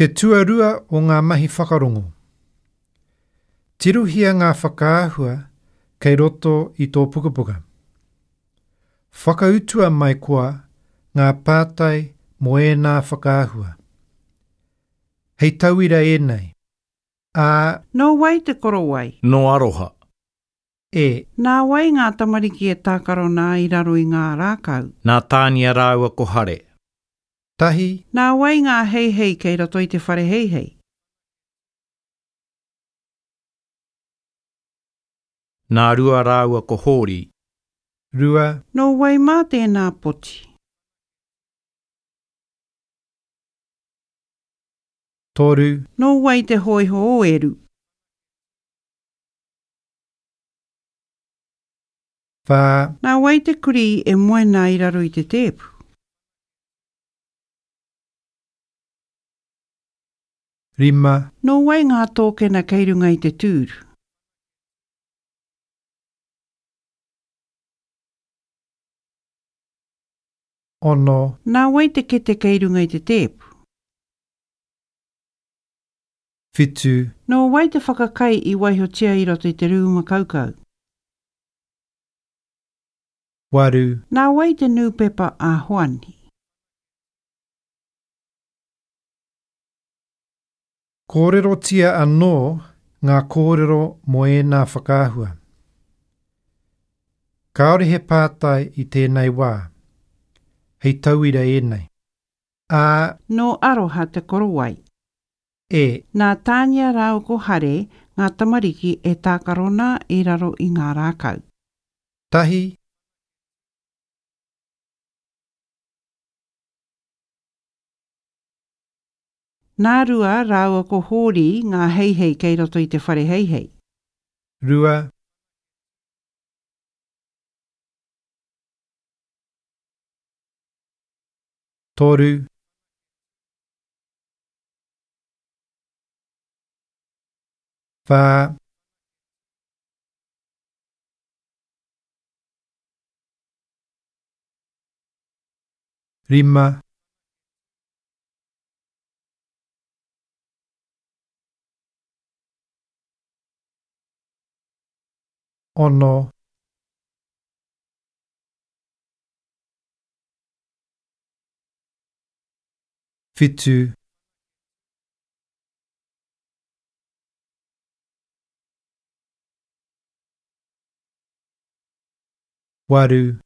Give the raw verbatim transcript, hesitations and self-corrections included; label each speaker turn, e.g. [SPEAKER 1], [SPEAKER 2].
[SPEAKER 1] Te tuarua o ngā mahi whakarongo. Tirohia ngā whakaahua kei roto i tō pukapuka. Whakautua mai koa ngā pātai mō ēnā whakaahua. Hei tauira ēnei. A,
[SPEAKER 2] Nō wai te korowai?
[SPEAKER 3] Nō Aroha.
[SPEAKER 1] E.
[SPEAKER 2] Nā wai ngā tamariki e tākaro nā i raro i ngā rākau?
[SPEAKER 3] Nā Tānia rāua ko Hare.
[SPEAKER 1] Tahi.
[SPEAKER 2] Nā wai ngā heihei kei roto i te whare heihei?
[SPEAKER 3] Nā Rua rāua ko Hōri.
[SPEAKER 1] Rua.
[SPEAKER 2] Nō wai mā tēnā poti?
[SPEAKER 1] Toru.
[SPEAKER 2] Nō wai te hōiho o Eru?
[SPEAKER 1] Whā.
[SPEAKER 2] Nā wai te kurī e moe nā i raro i te tēpu?
[SPEAKER 1] Rima.
[SPEAKER 2] Nō wai ngā tōkena kei runga i te tūru?
[SPEAKER 1] Ono.
[SPEAKER 2] Nā wai te kete kei runga i te tēpu?
[SPEAKER 1] Whitu.
[SPEAKER 2] Nō wai te whakakai i waihotia i roto i te rūma kaukau?
[SPEAKER 1] Waru.
[SPEAKER 2] Nā wai te nūpepa a Hoani?
[SPEAKER 1] Kōrerotia anō ngā kōrero mō ēnā whakaahua. Kāore he pātai i tēnei wā. Hei tauira ēnei. A.
[SPEAKER 2] Nō Aroha te korowai.
[SPEAKER 1] E.
[SPEAKER 2] Nā Tānia rāua ko Hare ngā tamariki e tākaro nā i raro i ngā rākau.
[SPEAKER 1] Tahi.
[SPEAKER 2] Nā Rua rāua ko Hōri ngā heihei kei roto i te whare heihei.
[SPEAKER 1] Rua. Toru. Whā. Rima. Ono. Whitu. Waru.